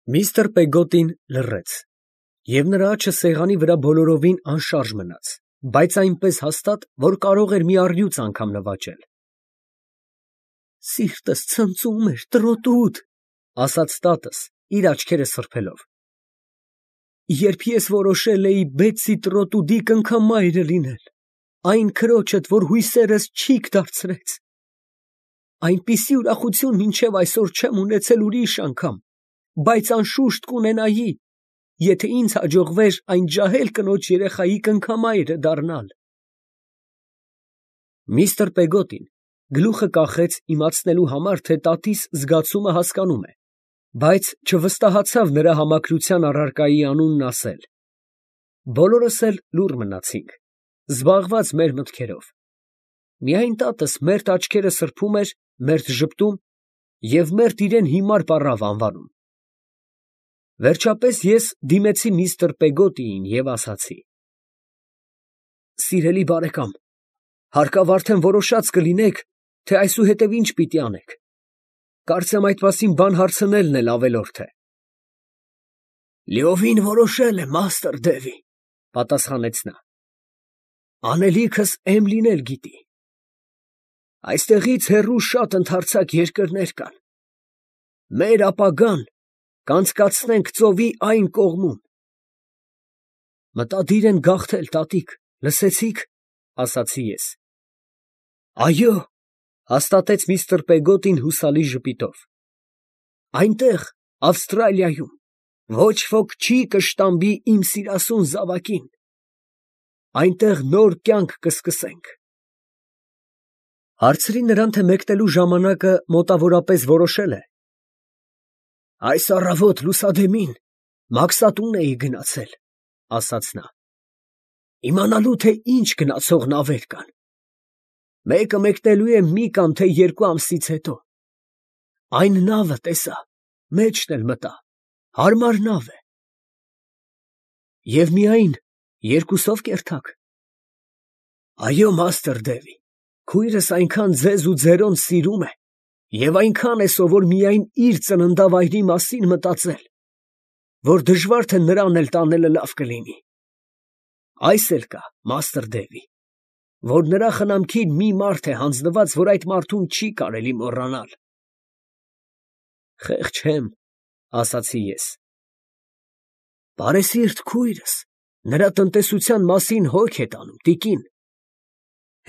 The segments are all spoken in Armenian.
Միստր Պեգոտին լռեց, և նրա աչքը սեղանի վրա բոլորովին անշարժ մնաց, բայց այնպես հաստատ, որ կարող էր մի առյուծ անգամ նվաճել։ «Սիրտս ցնծում էր, տրոտուտ», ֊ ասաց տատս, իր աչքերը սրբելով, «երբ ես որոշել էի Բեթսի տրոտուդի կնքամայրը լինել, այն քրոջդ, որ հույսերս չիք դարձրեց։ Այնպիսի ուրախություն մինչև այսօր չեմ ունեցել ուրիշ անգամ, բայց անշուշտ կունենայի, եթե ինձ հաջողվեր այն ջահել կնոջ երեխայի կնքամայրը դառնալ»։ Միստր Պեգոտին գլուխը կախեց իմացնելու համար, թե տատիս զգացումը հասկանում է, բայց չվստահացավ նրա համակրության առարկայի անունն ասել։ Բոլորս էլ լուռ մնացինք, զբաղված մեր մտքերով։ Միայն տատս մերթ աչքերը սրբում էր, մերթ ժպտում և մերթ իրան հիմար պառավ անվանում։ Վերջապես ես դիմեցի միստր Պեգոտիին և ասացի. «Սիրելի բարեկամ, հարկավ արդեն որոշած կլինեք, թե այսուհետև ինչ պիտի անեք. կարծեմ այդ մասին բան հարցնելն էլ ավելորդ է»։ «Լիովին որոշել եմ, մաստր Դևի», ֊ պատասխանեց նա։ «Անելիքս էմ լինել գիտի։ Այստեղից հեռու շատ ընդարձակ երկրներ կան. մեր ապագան կանցկացնենք ծովի այն կողմում»։ «Մտադիր են գաղթել, տատիկ, լսեցի՞ք», ֊ ասացի ես։ «Այո», ֊ հաստատեց միստր Պեգոտին հուսալի ժպիտով, «այնտեղ, Ավստրալիայում, ոչ ոք չի կշտամբի իմ սիրասուն զավակին. այնտեղ նոր կյանք կսկսենք»։ Հարցրի նրան, թե մեկնելու ժամանակը մոտավորապես որոշել է։ «Այս առավոտ լուսադեմին Մաքսատուն էի գնացել», ֊ ասաց նա, «իմանալու, թե ինչ գնացող նավեր կան։ Մեկը մեկնելու է մի կամ թե երկու ամսից հետո։ Այն նավը տեսա, մեջն էլ մտա, հարմար նավ է»։ «Եվ միայն երկուսո՞վ կերթաք»։ «Այո, մաստր Դևի, քույրս այնքան ձեզ ու ձերոն սիրում է և այնքան է սովոր միայն իր ծննդավայրի մասին մտածել, որ դժվար թե նրան էլ տանելը լավ կլինի։ Այս էլ կա, մաստր Դևի, որ նրա խնամքին մի մարդ է հանձնված, որ այդ մարդուն չի կարելի մոռանալ»։ «Խեղճ եմ», ֊ ասացի ես։ «Բարեսիրտ քույրս նրա տնտեսության մասին հոգ է տանում, տիկին։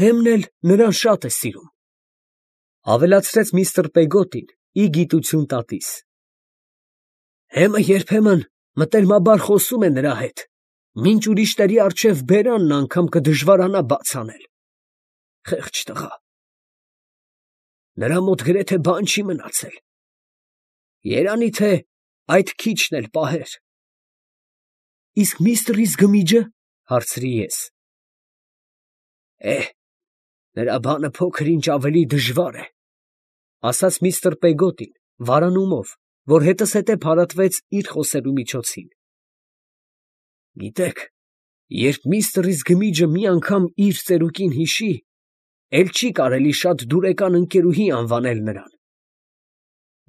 Հեմն էլ նրան շատ է սիրում», ֊ ավելացրեց միստր Պեգոտին, ի գիտություն տատիս։ «Հեմը երբեմն մտերմաբար խոսում է նրա հետ, մինչ ուրիշների առջև բերանն անգամ կդժվարանա բաց անել։ Խեղճ տղա։ Նրա մոտ գրեթե բան չի մնացել։ Երանի թե այդ քիչն էլ պահեր»։ «Իսկ միստրիս գմիջը», ֊ հարցրի ես։ «Նրա բանը փոքր ինչ ավելի դժվար է», ֊ ասաց միստր Պեգոտին վարանումով, որ հետզհետե փարատվեց իր խոսելու միջոցին։ «Գիտեք, երբ միստրիս գմիջը մի անգամ իր ծերուկին հիշի, էլ չի կարելի շատ դուրեկան ընկերուհի անվանել նրան։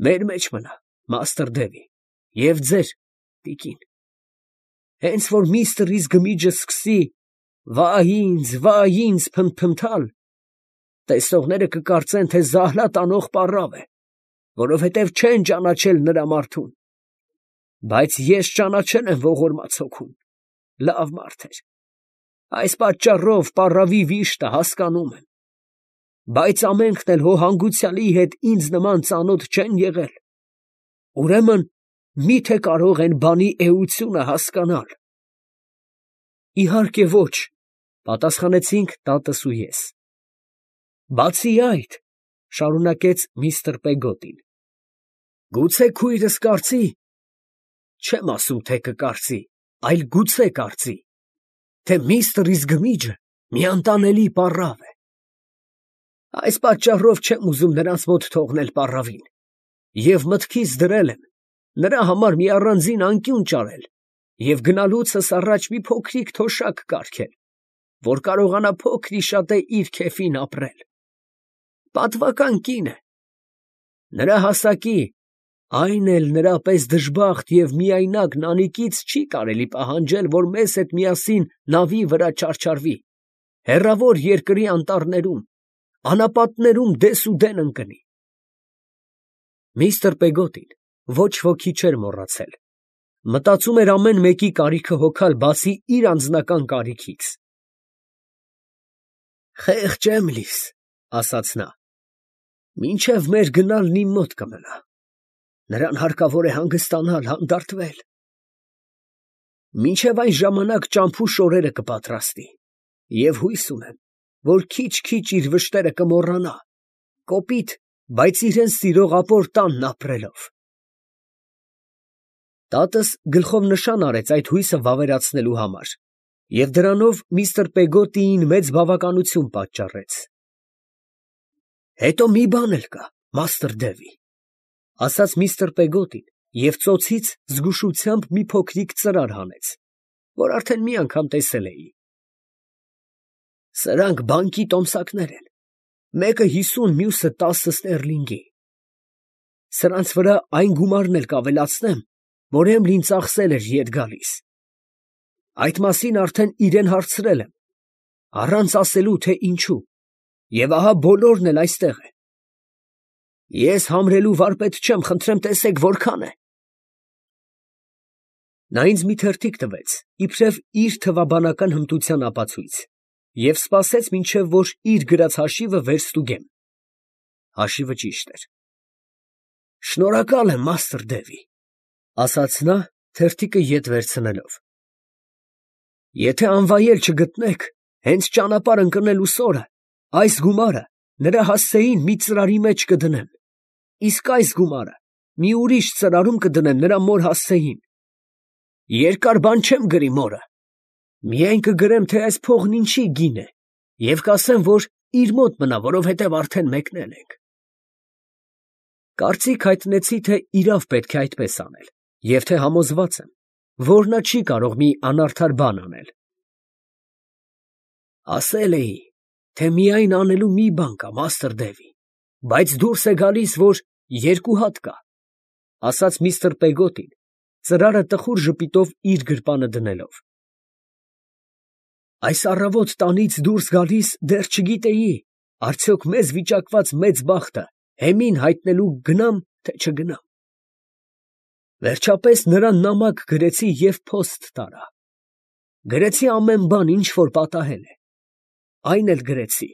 Մեր մեջ մնա, մաստր Դևի, և ձեր, տիկին։ Հենց որ միստրիս գմիջը սկսի վայ ինձ փնթփնթալ, տեսնողները կկարծեն, թե զահլա տանող պառավ է, որովհետև չեն ճանաչել նրա մարդուն։ Բայց ես ճանաչել եմ ողորմած հոգուն, լավ մարդ էր։ Այս պատճառով պառավի վիշտը հասկանում եմ։ Բայց ամենքն էլ հո հանգուցյալի հետ ինձ նման ծանոթ չեն եղել։ Ուրեմն մի՞թե կարող են բանի էությունը հասկանալ»։ «Իհարկե ոչ», ֊ պատասխանեցինք տատս ու ես։ «Բացի այդ», ֊ շարունակեց միստր Պեգոտին, «գուցե քույրս կարծի, չեմ ասում, թե կկարծի, այլ գուցե կարծի, թե միստրիս գմիջը մի անտանելի պառավ է։ Այս պատճառով չեմ ուզում նրանց մոտ թողնել պառավին, և մտքիս դրել եմ նրա համար մի առանձին անկյուն ճարել և գնալուցս առաջ մի փոքրիկ թոշակ կարգել, որ կարողանա փոքր-ի-շատե իր քեֆին ապրել։ Պատվական կին է։ Նրա հասակի, Այն էլ նրա պես դժբախտ և միայնակ նանիկից չի կարելի պահանջել, որ մեզ հետ միասին նավի վրա չարչարվի, հեռավոր երկրի անտառներում, անապատներում դեսուդեն ընկնի։ Միստր Պեգոտին ոչ ոքի չէր մոռացել. մտածում էր ամեն մեկի կարիքը հոգալ, բացի իր անձնական կարիքից։ «Խեղճ Էմլիս, ֊ ասաց նա, ֊ մինչև մեր գնալն իմ մոտ կմնա. նրան հարկավոր է հանգստանալ, հանդարտվել։ Մինչև այն ժամանակ ճամփու շորերը կպատրաստի, և հույս ունեմ, որ քիչ֊քիչ իր վշտերը կմոռանա, կոպիտ, բայց իրան սիրող ապոր տանն ապրելով»։ Տատս գլխով նշան արեց այդ հույսը վավերացնելու համար, և դրանով միստր Պեգոտիին մեծ բավականություն պատճառեց։ «Հետո մի բան էլ կա, մաստր Դևի, ֊ ասաց միստր Պեգոտին և ծոցից զգուշությամբ մի փոքրիկ ծրար հանեց, որ արդեն մի անգամ տեսել էի։ Սրանք բանկի տոմսակներ են, մեկը 50, մյուսը 10 ստերլինգի։ Սրանց վրա այն գումարն էլ կավելացնեմ, որ Էմլին ծախսել էր ետ գալիս։ Այդ մասին արդեն իրան հարցրել եմ, առանց ասելու, թե ինչու, և ահա բոլորն էլ այստեղ են։ Ես համրելու վարպետ չեմ, խնդրեմ տեսեք որքան է։ Նա ինձ մի թերթիկ տվեց, իբրև իր թվաբանական հմտության ապացույց, և սպասեց, մինչև որ իր գրած հաշիվը վերստուգեմ։ Հաշիվը ճիշտ էր։ «Շնորհակալ եմ, մաստր Դևի, ֊ ասաց նա, թերթիկը ետ վերցնելով։ Եթե անվայել չգտնեք, հենց ճանապարհ ընկնելուս օրը այս գումարը նրա հասցեին մի ծրարի մեջ կդնեմ, իսկ այս գումարը մի ուրիշ ծրարում կդնեմ նրա մոր հասցեին։ Երկար բան չեմ գրի մորը, միայն կգրեմ, թե այս փողն ինչի գին է, և կասեմ, որ իր մոտ մնա, որովհետև արդեն մեկնել ենք։ Կարծիք հայտնեցի, թե իրավ պետք է այդպես անել, և թե համոզված եմ, որ նա չի կարող մի անարդար բան անել։ Ասել էի, թե միայն անելու մի բան կա, մաստր Դևի, բայց դուրս է գալիս, որ երկու հատ կա, ֊ ասաց միստր Պեգոտին, ծրարը տխուր ժպիտով իր գրպանը դնելով։ Այս առավոտ տանից դուրս գալիս դեռ չգիտեի, արդյոք մեզ վիճակված մեծ բախտը հեմին հայտնելու գնամ, թե չգնամ։ Վերջապես նրան նամակ գրեցի և փոստ տարա։ Գրեցի ամեն բան, ինչ որ պատահել է։ Այն էլ գրեցի,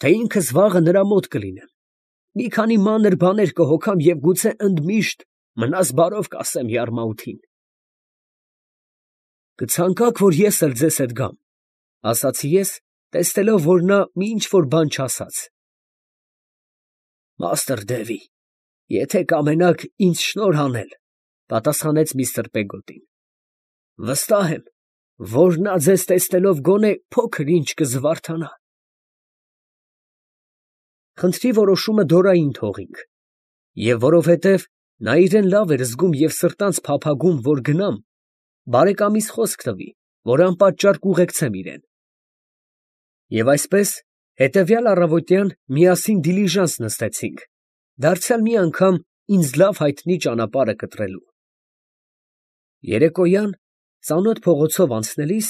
թե ինքս վաղը նրա մոտ կլինեմ, մի քանի մանր բաներ կհոգամ և գուցե ընդմիշտ մնաս բարով կասեմ Յարմաութին։ Կցանկաք, որ ես էլ ձեզ հետ գամ, ֊ ասացի ես, տեսնելով, որ նա մի ինչ֊որ բան չասաց։ Մաստր Դևի, եթե կամենաք ինձ շնորհ անել, ֊ պատասխանեց միստր Պեգոտին, ֊ վստահ եմ, որ նա ձեզ տեսնելով գոնե փոքր ինչ կզվարթանա։ Խնդրի որոշումը դորային թողինք, և որովհետև նա իրեն լավ էր զգում և սրտանց փափագում, որ գնամ, բարեկամիս խոսք տվի, որ անպատճառ կուղեկցեմ իրան։ Եվ այսպես հետևյալ առավոտյան միասին դիլիժանս նստեցինք, դարձյալ մի անգամ ինձ լավ հայտնի ճանապարհը կտրելու։ Երեկոյան ծանոթ փողոցով անցնելիս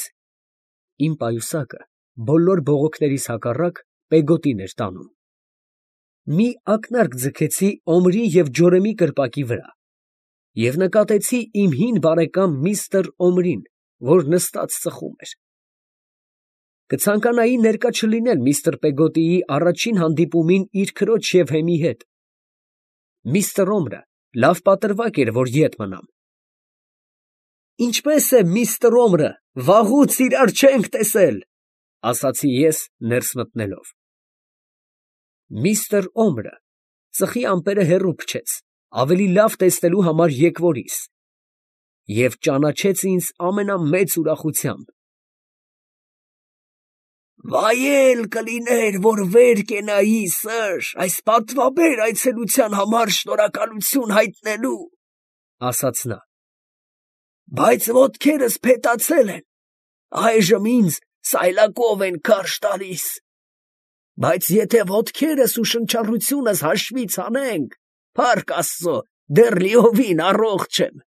իմ պայուսակը բոլոր բողոքներիս հակառակ Պեգոտին էր տանում։ Մի ակնարկ ձգեցի Օմրի և Ջորեմի կրպակի վրա և նկատեցի իմ հին բարեկամ միստր Օմրին, որ նստած ծխում էր։ Կցանկանայի ներկա չլինել միստր Պեգոտիի առաջին հանդիպումին իր քրոջ և հեմի հետ։ Միստր Օմրը լավ պատրվակ էր, որ ետ մնամ։ Ինչպե՞ս է, միստր Օմրը, վաղուց իրար չենք տեսել, ֊ ասացի ես ներս մտնելով։ Միստր Օմրը ծխի ամպերը հեռու փչեց, ավելի լավ տեսնելու համար եկվորիս, և ճանաչեց ինձ ամենամեծ ուրախությամբ։ Վայել կլիներ, որ վեր կենայի, սըր, այս պատվաբեր այցելության համար շնորհակալություն հայտնելու, ֊ ասաց նա, բայց ոտքերս փետացել են, այժմ ինձ սայլակով են քարշ տալիս, բայց եթե ոտքերս ու շնչառությունս հաշվից հանենք, փառք Աստծո, դեռ լիովին առողջ եմ։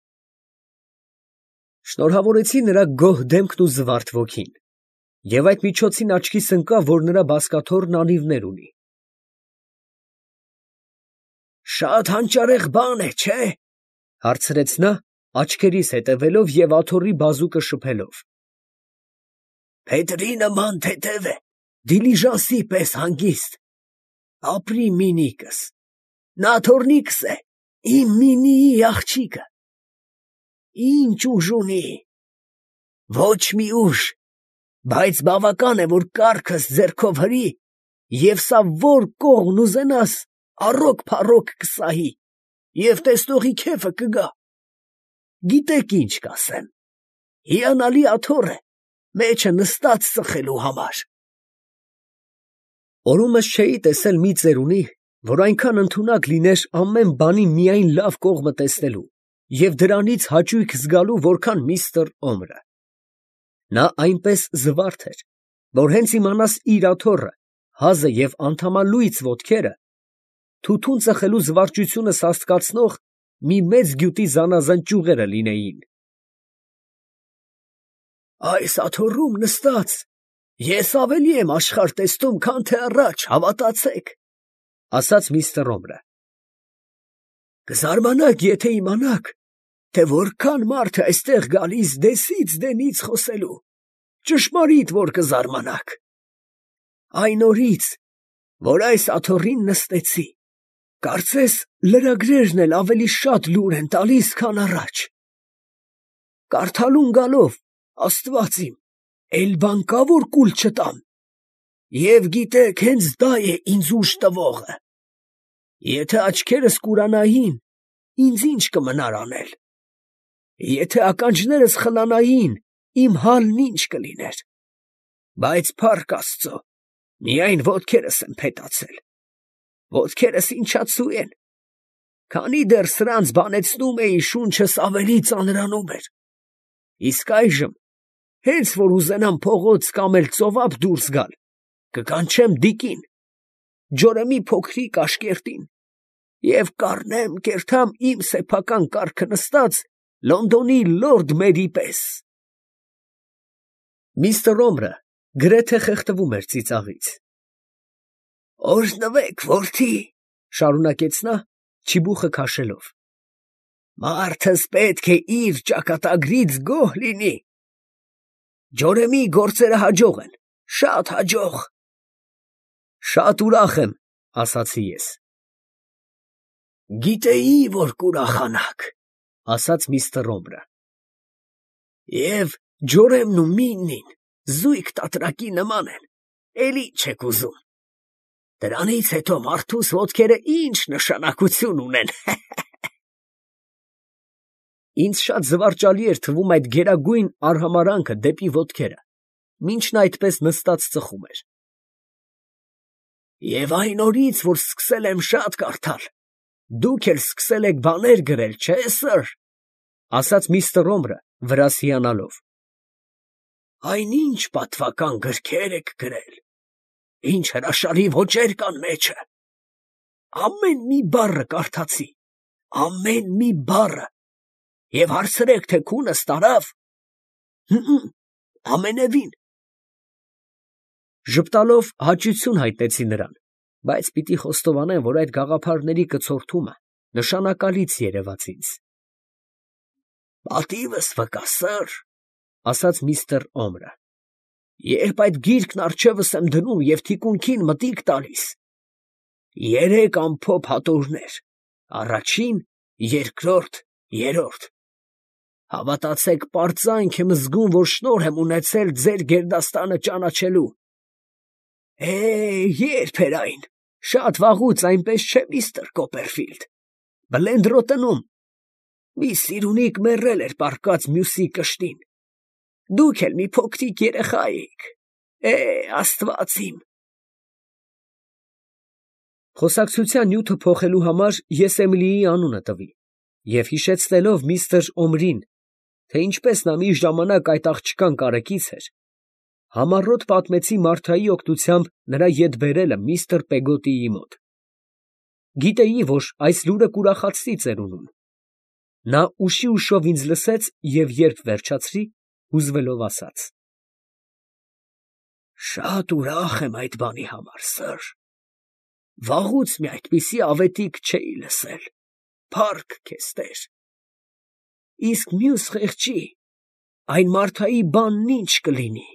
Շնորհավորեցի նրա գոհ դեմքն ու զվարթ ոգին, և այդ միջոցին աչքիս ընկավ, որ նրա բազկաթոռն անիվներ ունի։ Շատ հանճարեղ բան է, չէ՞, հարցրեց նա, աչքերիս հետևելով և աթոռի բազուկը շփելով։ Փետրի նման թեթև է, դիլիժանսի պես հանգիստ։ Ապրի մինիկս, նա թոռնիկս է, իմ մինիի աղջիկը։ Ինչ ուժ ունի, ոչ մի ուժ, բայց բավական է, որ կառքս ձեռքով հրի, և սա որ կողմն ուզենաս, առոք-փառոք կսահի, և տեսնողի քեֆը կգա։ Գիտեք ինչ կասեմ, հիանալի աթոռ է, մեջը նստած ծխելու համար։ Օրումս չէի տեսել մի ծերունի, որ այնքան ընդունակ լիներ ամեն բանի միայն լավ կողմը տեսնելու և դրանից հաճույք զգալու, որքան միստր Օմրը։ Նա այնպես զվարթ էր, որ հենց իմանաս իր աթոռը, հազը և անդամալույծ ոտքերը, թութուն ծխելու զվարճությունը սաստկացնող մի մեծ գյուտի զանազան ճյուղերը լինեին։ Այս աթոռում նստած ես ավելի եմ աշխարհ տեսնում, քան թե առաջ, հավատացեք, ֊ ասաց միստր Օմրը։ Կզարմանաք, եթե իմանաք, թե որքան մարդ է այստեղ գալիս դեսից դենից խոսելու, ճշմարիտ որ կզարմանաք։ Այն օրից, որ այս աթոռին նստեցի, կարծես լրագրերն էլ ավելի շատ լուր են տալիս, քան առաջ։ Կարդալուն գալով, Աստված իմ, էլ բան կա, որ կուլ չտամ։ Եվ գիտեք, հենց դա է ինձ ուժ տվողը։ Եթե աչքերս կուրանային, ինձ ինչ կմնար անել։ Եթե ականջներս խլանային, իմ հալն ինչ կլիներ։ Բայց փառք Աստծո, միայն ոտքերս եմ փետացել։ Ոտքերս ինչացու են, քանի դեռ սրանց բանեցնում էի, շունչս ավելի ծանրանում էր։ Իսկ այժմ, հենց որ ուզենամ փողոց կամ էլ ծովափ դուրս գալ, կկանչեմ դիկին, ջորեմի փոքրիկ աշկերտին, և կառնեմ, կերթամ իմ սեփական կառքը նստած Լոնդոնի լորդ մերի պես։ Միստր Օմրը գրեթե խեղդվում էր ծիծաղից։ Օրհնվեք, որդի, ֊ շարունակեց նա, չիբուխը քաշելով։ Մարդս պետք է իր ճակատագրից գոհ լինի։ Ջորեմի գործերը հաջող են, շատ հաջող։ Շատ ուրախ եմ, ֊ ասացի ես։ Գիտեի, որ կուրախանաք, ֊ ասաց միստր Օմրը։ Եվ ջորեմն ու միննին զույգ տատրակի նման են, էլ ինչ եք ուզում։ Դրանից հետո մարդուս ոտքերը ինչ նշանակություն ունեն։ Ինձ շատ զվարճալի էր թվում այդ գերագույն արհամարհանքը դեպի ոտքերը, մինչ նա այդպես նստած ծխում էր։ Եվ այն օրից, որ սկսել եմ շատ կարդալ, դուք էլ սկսել եք բաներ գրել, չէ՞, սըր, ֊ ասաց միստր Օմրը, վրաս հիանալով։ Այնինչ պատվական գրքեր եք գրել, ինչ հրաշալի ոճեր կան մեջը։ Ամեն մի բառը կարդացի, ամեն մի բառը, և հարցրեք, թե քունս տարավ։ Ամենևին։ Ժպտալով հաճություն հայտնեցի նրան, բայց պիտի խոստովանեմ, որ այդ գաղափարների կցորդումը նշանակալից երևաց ինձ։ Պատիվս վկա, սըր, ֊ ասաց միստր Օմրը, երբ այդ գիրքն առջևս եմ դնում և թիկունքին մտիկ տալիս, 3 ամփոփ հատորներ, առաջին, երկրորդ, երրորդ։ Հավատացեք, պարծանք եմ զգում, որ շնորհ եմ ունեցել ձեր գերդաստանը ճանաչելու։ Երբ էր այն, շատ վաղուց, այնպես չէ, միստր Կոպերֆիլդ, Բլենդրոտնում, մի սիրունիկ մեռել էր պառկած մյուսի կշտին, դուք էլ մի փոքրիկ երեխա էիք, Աստված իմ։ Խոսակցության նյութը փոխելու համար ես Էմիլիի անունը տվի և հիշեցնելով միստր Օմրին, թե ինչպես նա մի ժամանակ այդ աղջկան կարեկից էր, համառոտ պատմեցի Մարթայի օգնությամբ նրա ետ բերելը միստր Պեգոտիի մոտ։ Գիտեի, որ այս լուրը կուրախացրի ծերունուն։ Նա ուշի ուշով ինձ լսեց և երբ վերջացրի, հուզվելով ասաց. «Շատ ուրախ եմ այդ բանի համար, սըր. վաղուց մի այդպիսի ավետիք չէի լսել, փառք քեզ Տեր։ Իսկ մյուս խեղճի, այն Մարթայի բանն ի՞նչ կլինի»։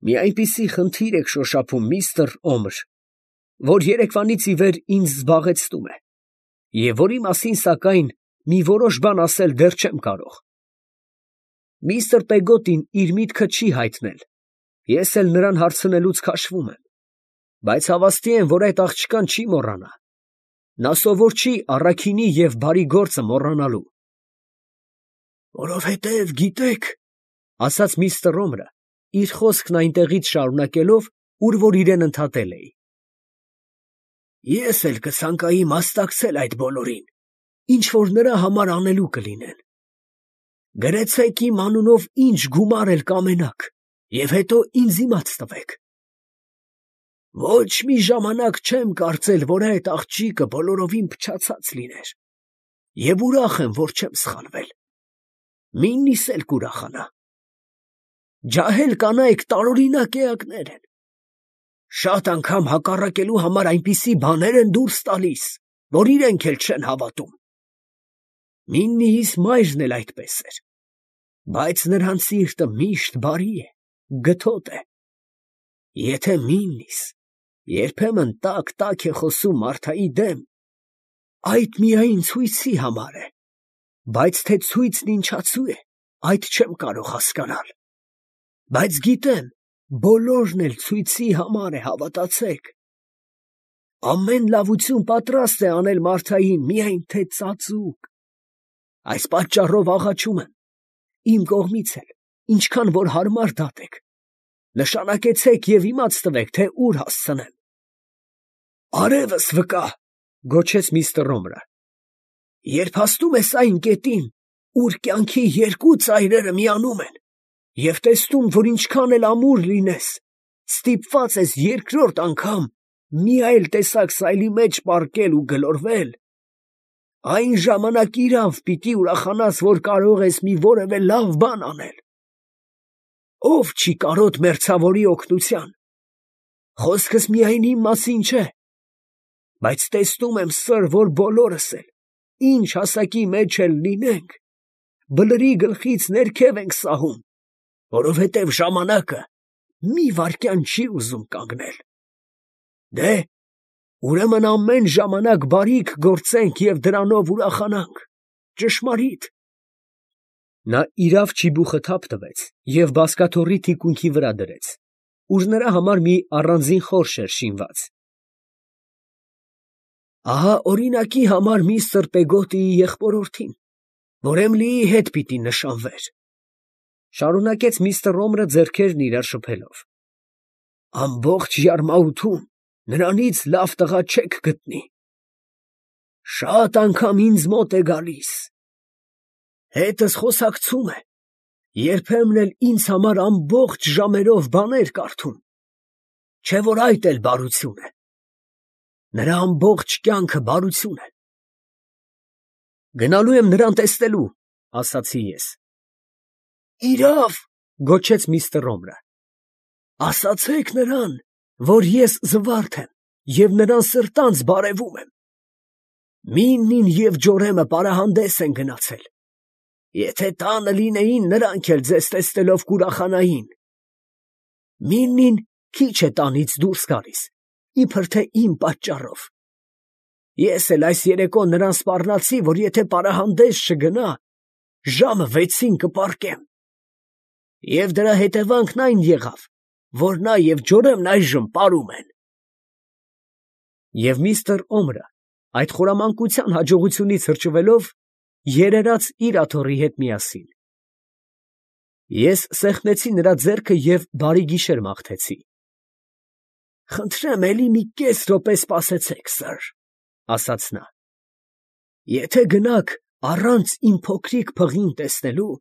«Մի այնպիսի խնդիր եք շոշափում, միստր Օմր, որ երեկվանից ի վեր ինձ զբաղեցնում է, և որի մասին, սակայն, մի որոշ բան ասել դեռ չեմ կարող։ Միստր Պեգոտին իր միտքը չի հայտնել, ես էլ նրան հարցնելուց քաշվում եմ, բայց հավաստի եմ, որ այդ աղջկան չի մոռանա, նա սովոր չի առաքինի և բարի գործը մոռանալու։ «Որովհետև գիտեք, ֊ ասաց միստր Օմրը, իր խոսքն այնտեղից շարունակելով, ուր որ իրեն ընդհատել էի, ֊ ես էլ կցանկայի մասնակցել այդ բոլորին, ինչ որ նրա համար անելու կլինեն։ Գրեցեք իմ անունով ինչ գումար էլ կամենաք և հետո ինձ իմաց տվեք։ Ոչ մի ժամանակ չեմ կարծել, որ այդ աղջիկը բոլորովին փչացած լիներ, և ուրախ եմ, որ չեմ սխալվել։ Միննիս էլ կուրախանա։ Ջահել կանայք տարօրինակ էակներ են, շատ անգամ հակառակելու համար այնպիսի բաներ են դուրս տալիս, որ իրենք էլ չեն հավատում։ Միննիիս մայրն էլ այդպես էր, բայց նրան սիրտը միշտ բարի է, գթոտ է։ Եթե միննիս երբեմն տաք է խոսում Մարթայի դեմ, այդ միայն ցույցի համար է, բայց թե ցույցն ինչացու է, այդ չեմ կարող հասկանալ։ Բայց գիտեմ, բոլորն էլ ցույցի համար է, հավատացեք։ Ամեն լավություն պատրաստ է անել Մարթային, միայն թե ծածուկ։ Այս պատճառով աղաչում եմ, իմ կողմից էլ, ինչքան որ հարմար դատեք, նշանակեցեք և իմաց տվեք, թե ուր հասցնեմ։ Արևս վկա, ֊ գոչեց միստր Օմրը, ֊ երբ հասնում ես այն կետին, ուր կյանքի երկու ծայրերը միանում են, և տեսնում, որ ինչքան էլ ամուր լինես, ստիպված ես երկրորդ անգամ մի այլ տեսակ սայլի մեջ պառկել ու գլորվել, այն ժամանակ իրավ պիտի ուրախանաս, որ կարող ես մի որևէ լավ բան անել։ Ո՞վ չի կարոտ մերձավորի օգնության։ Խոսքս միայն իմ մասին չէ, բայց տեսնում եմ, սըր, որ բոլորս էլ, ինչ հասակի մեջ էլ լինենք, բլրի գլխից ներքև ենք սահում, որովհետև ժամանակը մի վայրկյան չի ուզում կանգնել։ Դե, ուրեմն ամեն ժամանակ բարիք գործենք և դրանով ուրախանանք, ճշմարի՞տ։ Նա իրավ ճիբուխը թափ տվեց և բազկաթոռի թիկունքի վրա դրեց, ուր նրա համար մի առանձին խորշ էր շինված։ Ահա օրինակի համար միստր Պեգոտիի եղբորորդին, որ Էմլիի հետ պիտի նշանվեր, ֊ շարունակեց միստր Օմրը ձեռքերն իրար շփելով. ամբողջ Յարմաութում նրանից լավ տղա չեք գտնի։ Շատ անգամ ինձ մոտ է գալիս, հետս խոսակցում է, երբեմն էլ ինձ համար ամբողջ ժամերով բաներ կարդում, չէ՞ որ այդ էլ բարություն է։ Նրա ամբողջ կյանքը բարություն է։ Գնալու եմ նրան տեսնելու, ֊ ասացի ես։ Իրավ, ֊ գոչեց միստր Օմրը, ֊ ասացեք նրան, որ ես զվարթ եմ և նրան սրտանց բարևում եմ։ Միննին և Ջորեմը պարահանդես են գնացել։ Եթե տանը լինեին, նրանք էլ ձեզ տեսնելով կուրախանային։ Միննին քիչ է տանից դուրս գալիս, իբր թե իմ պատճառով։ Ես էլ այս երեկո նրան սպառնացի, որ եթե պարահանդես չգնա, ժամը 6-ին կպառկեմ։ Եվ դրա հետևանքն այն եղավ, որ նա և Ջորեմն այժմ պարում են։ Եվ միստր Օմրը, այդ խորամանկության հաջողությունից հրճվելով, երերաց իր աթոռի հետ միասին։ Ես սեղմեցի նրա ձեռքը և բարի գիշեր մաղթեցի։ Խնդրեմ, էլի մի կես րոպե սպասեցեք, սըր, ֊ ասաց նա։ Եթե գնաք առանց իմ փոքրիկ փղին տեսնելու,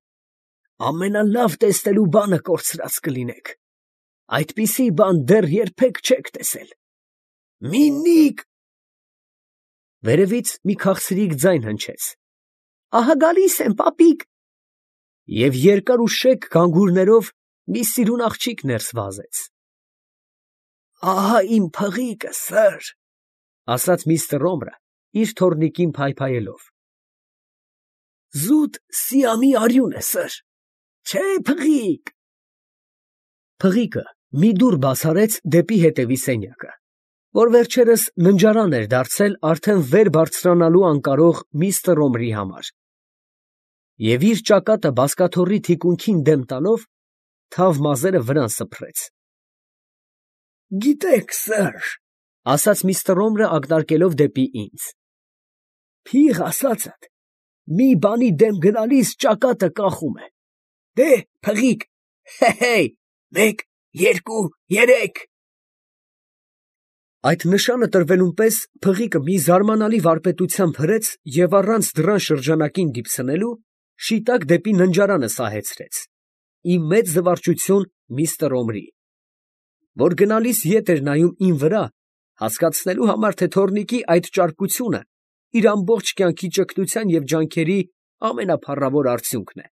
ամենալավ տեսնելու բանը կորցրած կլինեք, այդպիսի բան դեռ երբեք չեք տեսել։ Միննիկ, Վերևից մի քաղցրիկ ձայն հնչեց. «Ահա գալիս եմ, պապիկ»։ Եվ երկար ու շեկ գանգուրներով մի սիրուն աղջիկ ներս վազեց։ «Ահա իմ փղիկը, սըր», ֊ ասաց միստր Օմրը իր թոռնիկին փայփայելով։ «Զուտ Սիամի արյուն է, սըր, չէ՞ փղիկ»։ Փղիկը մի դուռ բաց արեց դեպի հետևի սենյակը, որ վերջերս ննջարան էր դարձել արդեն վեր բարձրանալու անկարող միստր Օմրի համար, և իր ճակատը բազկաթոռի թիկունքին դեմ տալով, թավ մազերը վրան սփռեց։ «Գիտեք, սըր, ֊ ասաց միստր Օմրը ակնարկելով դեպի ինձ, ֊ փիղ ասածդ մի բանի դեմ գնալիս ճակատը կախում է։ Դե՛, փղիկ, հե՛, 1, 2, 3»։ Այդ նշանը տրվելուն պես փղիկը մի զարմանալի վարպետությամբ հրեց և առանց դռան շրջանակին դիպցնելու, շիտակ դեպի ննջարանը սահեցրեց, ի մեծ զվարճություն միստր Օմրի, որ գնալիս ետ էր նայում իմ վրա, հասկացնելու համար, թե թոռնիկի այդ ճարպկությունը իր ամբողջ կյանքի ճգնության և ջանքերի ամենափառավոր արդյունքն է։